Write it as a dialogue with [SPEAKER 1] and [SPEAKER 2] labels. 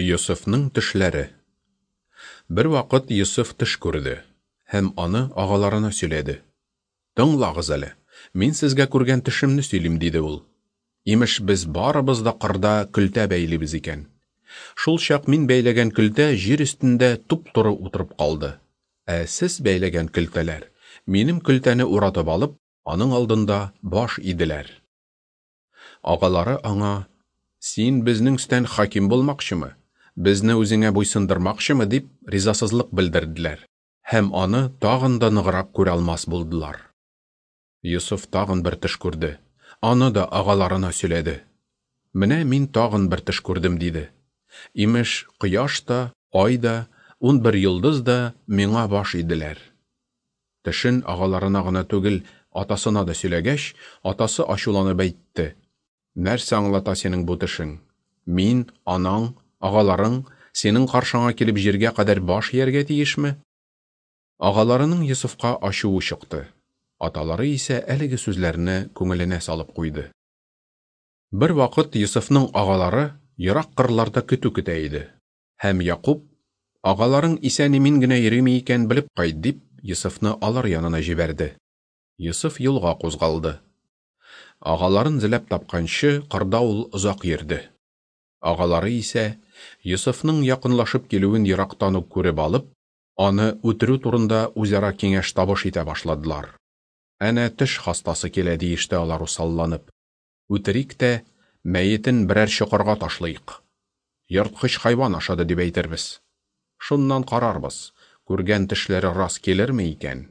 [SPEAKER 1] Йосыфның төшләре. Бервакыт Йосыф төш күрде һәм аны агаларына сөйләде. Тыңлагыз әле, мин сезгә күргән төшемне сөйлим, диде ул. Имеш, без барыбыз да кырда көлтә бәйлибез икән. Шул чак мин бәйләгән көлтә җир өстендә туп-туры утырып калды. Ә сез бәйләгән көлтәләр, минем көлтәне уратып алып, аның алдында баш иделәр. Агалары аңа, Син безнең өстән хаким булмакчымы? Безне үзеңә буйсындырмакчымы? дип ризасызлык белдерделәр һәм аны тагын да ныграк күрә алмас булдылар. Йосыф тагын бер төш күрде. Аны да агаларына сөйләде. Менә мин тагын бер төш күрдем, диде. Имеш, кояш та, ай да, 11 йолдыз да миңа баш иделәр. Төшен агаларына гына түгел, атасына да сөйләгәч, атасы ачуланып әйтте: Нәрсә аңлата синең бу төшең? Мин, анаң, агаларың синең каршыңа килеп җиргә кадәр баш ияргә тиешме? Агаларының Йосыфка ачуы чыкты. Аталары исә әлеге сүзләрне күңеленә салып куйды. Бервакыт Йосыфның агалары ерак кырларда көтү көтә иде. Һәм Якуб, Агаларың исән-имин генә йөриме икән, белеп кайт, дип, Йосыфны алар янына җибәрде. Йосыф юлга кузгалды. Агаларын эзләп тапканчы, кырда ул озак йөрде. Агалары исә, Йосыфның якынлашып килүен ерактан ук күреп алып, аны үтерү турында үзара киңәш-табыш итә башладылар. Әнә теш хастасы килә, диеште алар усалланып. Үтерик тә, мәетен берәр чокырга ташлыйк. Ерткыч хайван ашады дип әйтербез. Шуннан карарбыз, күргән төшләре рас килерме икән?